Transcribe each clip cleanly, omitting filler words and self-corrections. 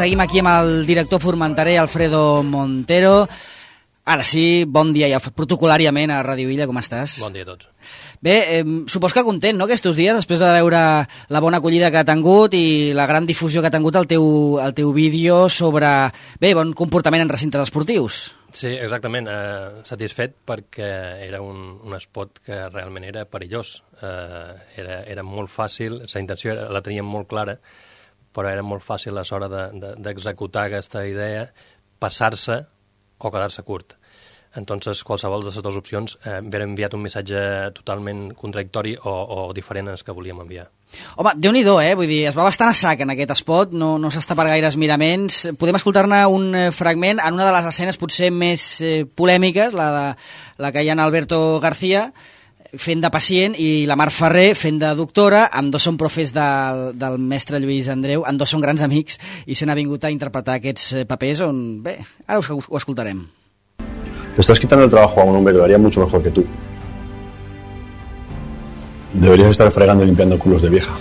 seguim aquí amb el director formenterer Alfredo Montero. Ara sí, bon dia ja protocolàriament a Ràdio Illa, com estàs? Bon dia a tots. Bé, supos que content, no?, aquests dies, després de veure la bona acollida que ha tingut i la gran difusió que ha tingut el teu vídeo sobre, bé, bon comportament en recintes esportius. Sí, exactament. Satisfet perquè era un espot que realment era perillós. Era molt fàcil, la intenció la teníem molt clara, però era molt fàcil a l'hora d'executar aquesta idea, passar-se o quedar-se curt. Entonces, qualsevol de les dues opcions haver enviat un missatge totalment contradictori o diferent als que volíem enviar. Home, Déu-n'hi-do, vull dir, es va bastant a sac en aquest spot, no s'està per gaires miraments. Podem escoltar-ne un fragment en una de les escenes potser més polèmiques, la que hi ha en Alberto García, fent de pacient, i la Mar Ferrer fent de doctora. Ambdós són profes del mestre Lluís Andreu, ambdós són grans amics i se n'ha vingut a interpretar aquests papers on, bé, ara ho escoltarem. Le estás quitando el trabajo a un hombre que lo haría mucho mejor que tú. Deberías estar fregando y limpiando culos de vieja.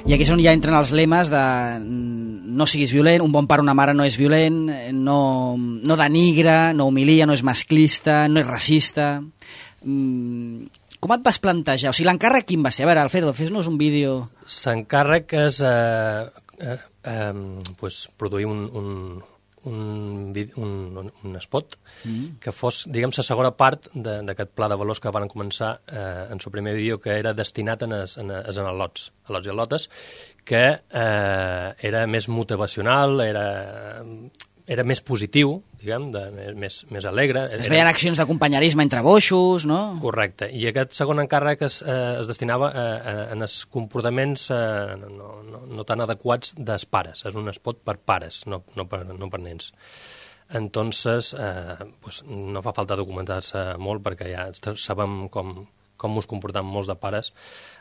I aquí és on ja entren els lemes de no siguis violent, un bon pare o una mare no és violent, no denigra, no humilia, no és masclista, no és racista. Com et vas plantejar? O sigui, l'encàrrec quin va ser? A veure, Alfredo, fes-nos un vídeo. L'encàrrec és produir un spot que fos, diguem, la segona part d'aquest pla de valors que van començar en el primer vídeo, que era destinat als al·lots i al·lotes, que era més motivacional, era més positiu, diguem, més alegre. Es veien accions de companyerisme entre boixos, no? Correcte. I aquest segon encàrrec es destinava en els comportaments no tan adequats dels pares. És un spot per pares, no per nens. Entonces, no fa falta documentar-se molt perquè ja sabem com us comportam molts de pares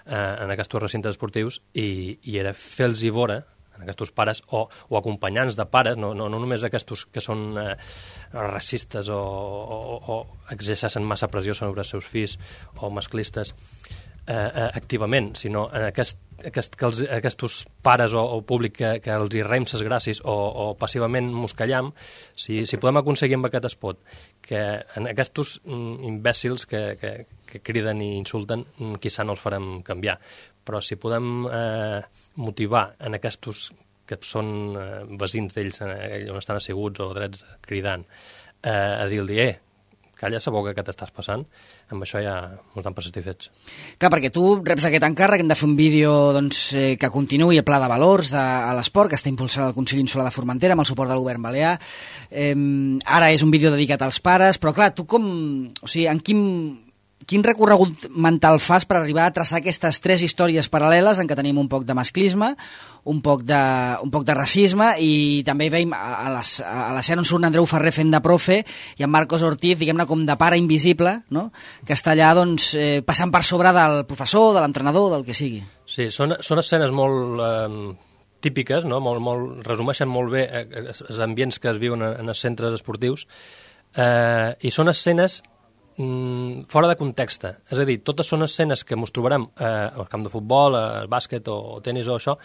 en aquests recintes esportius i era fer-los veure aquests pares o acompanyants de pares, no només aquests que són racistes o exerceixen massa pressió sobre els seus fills o masclistes activament, sinó en aquests pares o públic que els hi reim ses gràcies o passivament moscallam, si podem aconseguir amb aquest spot que en aquests imbècils que criden i insulten, quizà no els farem canviar, però si podem motivar en aquests que són veïns d'ells on estan asseguts o drets cridant a dir-li, calla la boca que t'estàs passant, amb això ja ens dan per satisfets. Clar, perquè tu reps aquest encàrrec, hem de fer un vídeo que continuï el pla de valors a l'esport, que està impulsat el Consell Insular de Formentera amb el suport del govern balear. Ara és un vídeo dedicat als pares, però clar, tu quin recorregut mental fas per arribar a traçar aquestes tres històries paral·leles en què tenim un poc de masclisme, un poc de racisme, i també veiem a l'escena on surt Andreu Ferrer fent de profe i en Marcos Ortiz, diguem-ne, com de pare invisible, no?, que està allà passant per sobre del professor, de l'entrenador, del que sigui. Sí, són escenes molt típiques, no? Resumeixen molt bé els ambients que es viuen en els centres esportius, i són escenes fora de context. És a dir, totes són escenes que ens trobarem al camp de futbol, al bàsquet o tenis o això,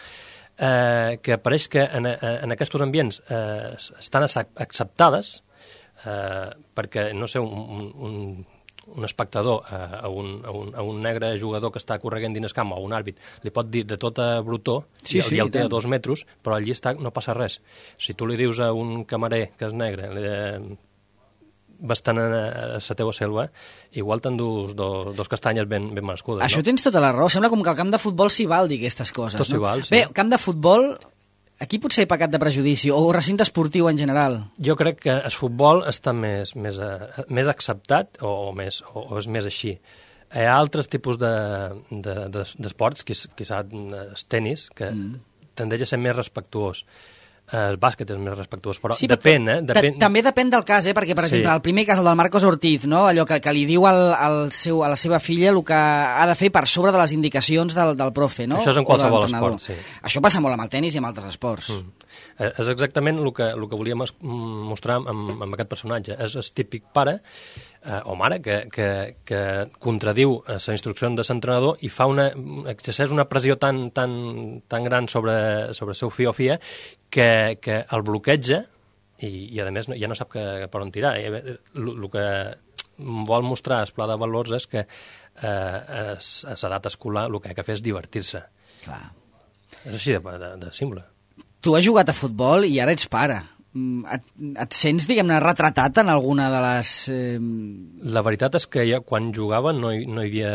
que pareix que en aquests ambients estan acceptades perquè, no sé, un espectador a un negre jugador que està corregent dins el camp o un àrbit li pot dir de tota brutó i el té a 2 metres, però allí no passa res. Si tu li dius a un camarer que és negre bastant a la teva selva, igual t'endús dos castanyes ben merescudes. Això tens tota la raó. Sembla com que al camp de futbol s'hi val dir aquestes coses. Tot s'hi val, sí. Bé, camp de futbol, aquí potser he pecat de prejudici, o recinte esportiu en general. Jo crec que el futbol està més acceptat o és més així. Hi ha altres tipus d'esports, quizà el tenis, que tendeix a ser més respectuós. El bàsquet és més respectuós, però sí, depèn, També depèn del cas, perquè, per exemple, el primer cas, el del Marcos Ortiz, no? Allò que li diu a la seva filla el que ha de fer per sobre de les indicacions del profe, no? Això és en qualsevol esport, sí. Això passa molt amb el tenis i amb altres esports. És exactament el que volíem mostrar amb aquest personatge. És el típic pare o mare que contradiu les instruccions de l'entrenador i exerceix una pressió tan gran sobre el seu fill o filla que el bloqueja i a més ja no sap per on tirar. El que vol mostrar el pla de valors és que a l'edat escolar el que ha de fer és divertir-se. Clar. És així de simple. Tu has jugat a futbol i ara ets pare. Et sents, diguem-ne, retratat en alguna de les... La veritat és que jo, quan jugava, no hi havia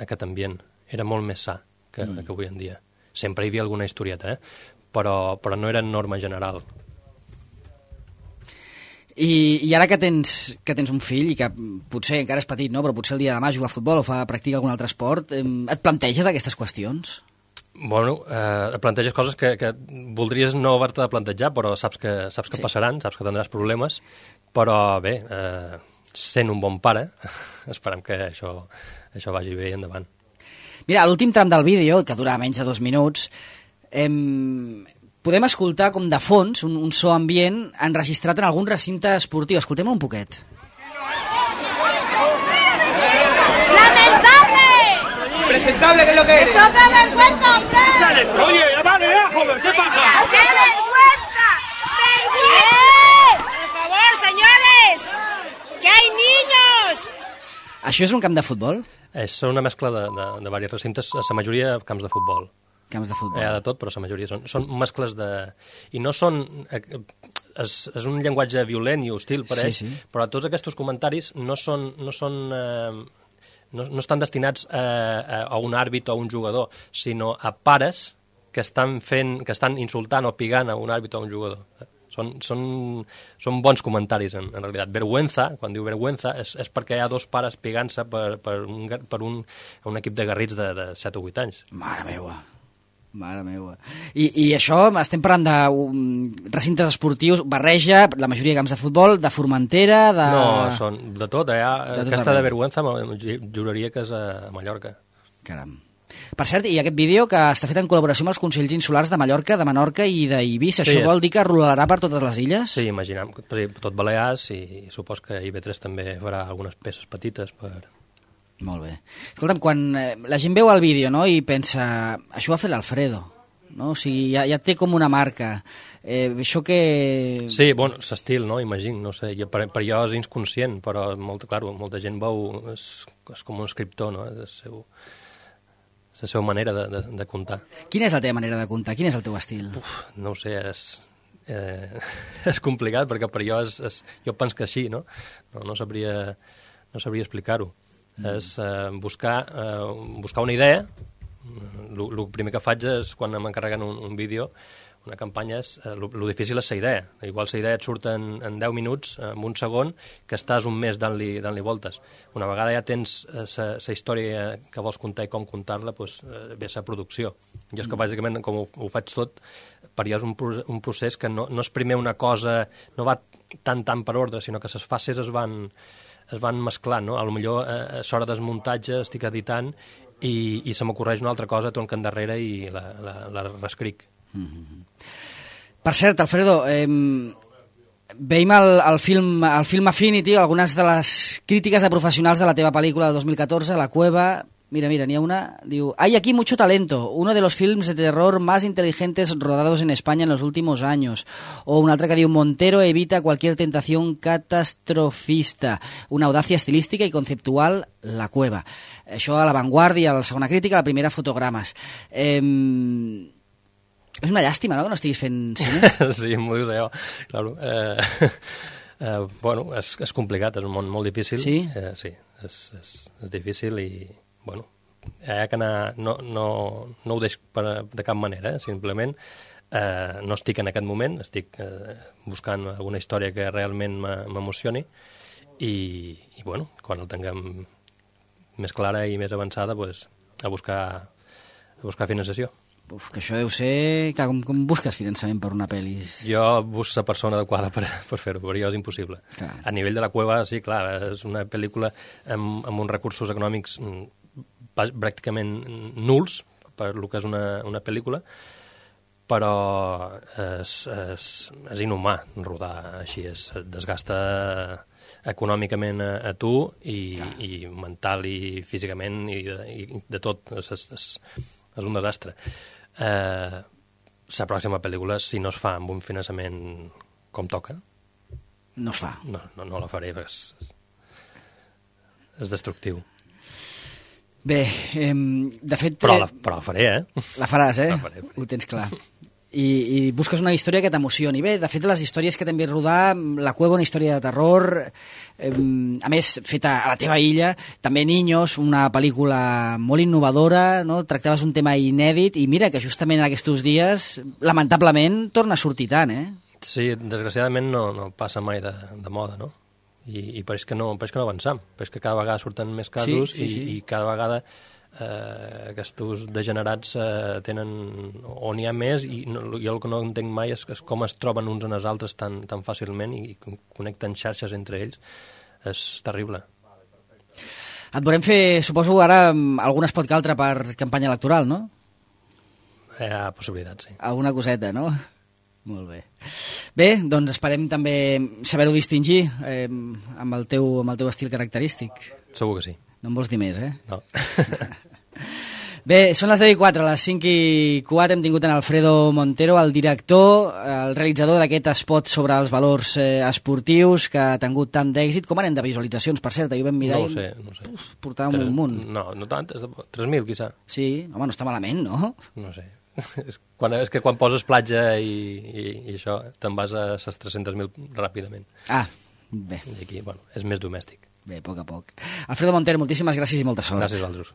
aquest ambient. Era molt més sa que avui en dia. Sempre hi havia alguna historieta, però no era norma general. I ara que tens un fill i que potser encara és petit, no? Però potser el dia de demà juga a futbol o practica algun altre esport, et planteges aquestes qüestions? Bueno, planteges coses que voldries no haver-te de plantejar, però saps que passaran, saps que tindràs problemes, però bé, sent un bon pare, esperem que això vagi bé i endavant. Mira, a l'últim tram del vídeo, que dura menys de 2 minuts, podem escoltar com de fons un so ambient enregistrat en algun recinte esportiu. Escoltem-lo un poquet. Presentable, ¿qué es lo que eres? ¡Esto qué vergüenza, hombre! Oye, ya vale, ya, joder, ¿qué pasa? ¡Qué vergüenza! ¡Vergüenza! Por favor, señores, que hay niños. Això és un camp de futbol? És una mescla de diversos recintes, la majoria camps de futbol. Camps de futbol. Hi ha de tot, però la majoria són mescles de... I no són... És un llenguatge violent i hostil, pareix, però tots aquests comentaris no estan destinats a un àrbit o a un jugador, sinó a pares que estan insultant o pigant a un àrbit o a un jugador. Són bons comentaris, en realitat. Vergüenza, quan diu vergüenza, és perquè hi ha 2 pares pigant-se per un equip de garrits de 7 o 8 anys. Mare meva. I això, estem parlant de recintes esportius, barreja, la majoria de camps de futbol, de Formentera, de... No, són de tot. Aquesta de vergüenza juraria que és a Mallorca. Caram. Per cert, i aquest vídeo que està fet en col·laboració amb els Consells Insulars de Mallorca, de Menorca i d'Eivissa, això vol dir que rolarà per totes les illes? Sí, imaginem. Tot Balears i supos que IB3 també farà algunes peces petites per... Molt bé. Escolta'm, quan la gent veu el vídeo, no?, i pensa, això ho ha fet l'Alfredo, no? O sigui, ja té com una marca. Això que... Sí, bueno, l'estil, no?, imagino, no sé, per jo és inconscient, però molta gent veu, és com un escriptor, no?, és la seva manera de contar. Quina és la teva manera de contar? Quin és el teu estil? No ho sé, és complicat, perquè per jo jo penso que així, no? No sabria explicar-ho. És buscar una idea. El primer que faig és, quan m'encarreguen un vídeo, una campanya, el difícil és la idea. Igual la idea et surt en 10 minuts, en un segon, que estàs un mes dant-li voltes. Una vegada ja tens la història que vols contar i com contar-la, doncs ve la producció. Jo és que bàsicament, com ho faig tot, per jo és un procés que no és primer una cosa, no va tant per ordre, sinó que les fases es van mesclant, no? Potser a l'hora del muntatge estic editant i se m'ocorreix una altra cosa, torno endarrere i la reescric. Per cert, Alfredo, veiem el film Affinity, algunes de les crítiques de professionals de la teva pel·lícula de 2014, La Cueva. Mira, n'hi ha una, diu: hay aquí mucho talento, uno de los films de terror más inteligentes rodados en España en los últimos años. O un altre que diu: Montero evita cualquier tentación catastrofista, una audacia estilística y conceptual, La Cueva. Això a La Vanguardia, a la segona crítica, a la primera, Fotogrames. És una llàstima, no?, que no estiguis fent cine. Sí, m'ho dius jo, claro. Bueno, és complicat, és un món molt difícil. Sí? Sí, és difícil i... Bueno, hi ha que anar... No ho deixo de cap manera, simplement no estic en aquest moment, estic buscant alguna història que realment m'emocioni i bueno, quan el tinguem més clara i més avançada, pues, a buscar finançació. Uf, que això deu ser... Clar, com busques finançament per una pel·li? Jo busco la persona adequada per fer-ho, però jo és impossible. Clar. A nivell de la cueva, sí, clar, és una pel·lícula amb uns recursos econòmics pràcticament nuls per el que és una pel·lícula, però és inhumà rodar així, es desgasta econòmicament a tu i mental i físicament i de tot, és un desastre. La pròxima pel·lícula, si no es fa amb un finançament com toca, no es fa. No la faré, perquè és destructiu. Bé, de fet... Però la faré, La faràs, La faré. Ho tens clar. I busques una història que t'emocioni. Bé, de fet, les històries que t'hem vist rodar, La Cueva, una història de terror, a més, feta a la teva illa, també Niños, una pel·lícula molt innovadora, no? Tractaves un tema inèdit, i mira que justament en aquests dies, lamentablement, torna a sortir tant, Sí, desgraciadament no passa mai de moda, no? I pareix que no avancem, pareix que cada vegada surten més casos sí. I cada vegada aquests degenerats tenen, o n'hi ha més, i jo el que no entenc mai és com es troben uns en els altres tan fàcilment i connecten xarxes entre ells. És terrible. Et volem fer, suposo, ara algun espot que altre per campanya electoral, no? Hi ha possibilitats, sí. Alguna coseta, no? Molt bé. Bé, doncs esperem també saber-ho distingir amb el teu estil característic. Segur que sí. No em vols dir més, No. Bé, són les 10:04, a les 5:04 hem tingut en Alfredo Montero, el director, el realitzador d'aquest spot sobre els valors esportius que ha tingut tant d'èxit. Com anem de visualitzacions, per cert? Ahir ho vam mirar. No ho sé. Portàvem un munt. No tant, 3.000, quizà. Sí, home, no està malament, no? No sé. És que quan poses platja i això, te'n vas a les 300.000 ràpidament. Bé. I aquí, és més domèstic. Bé, a poc a poc. Alfredo Montero, moltíssimes gràcies i molta sort. Gràcies, Valdrus.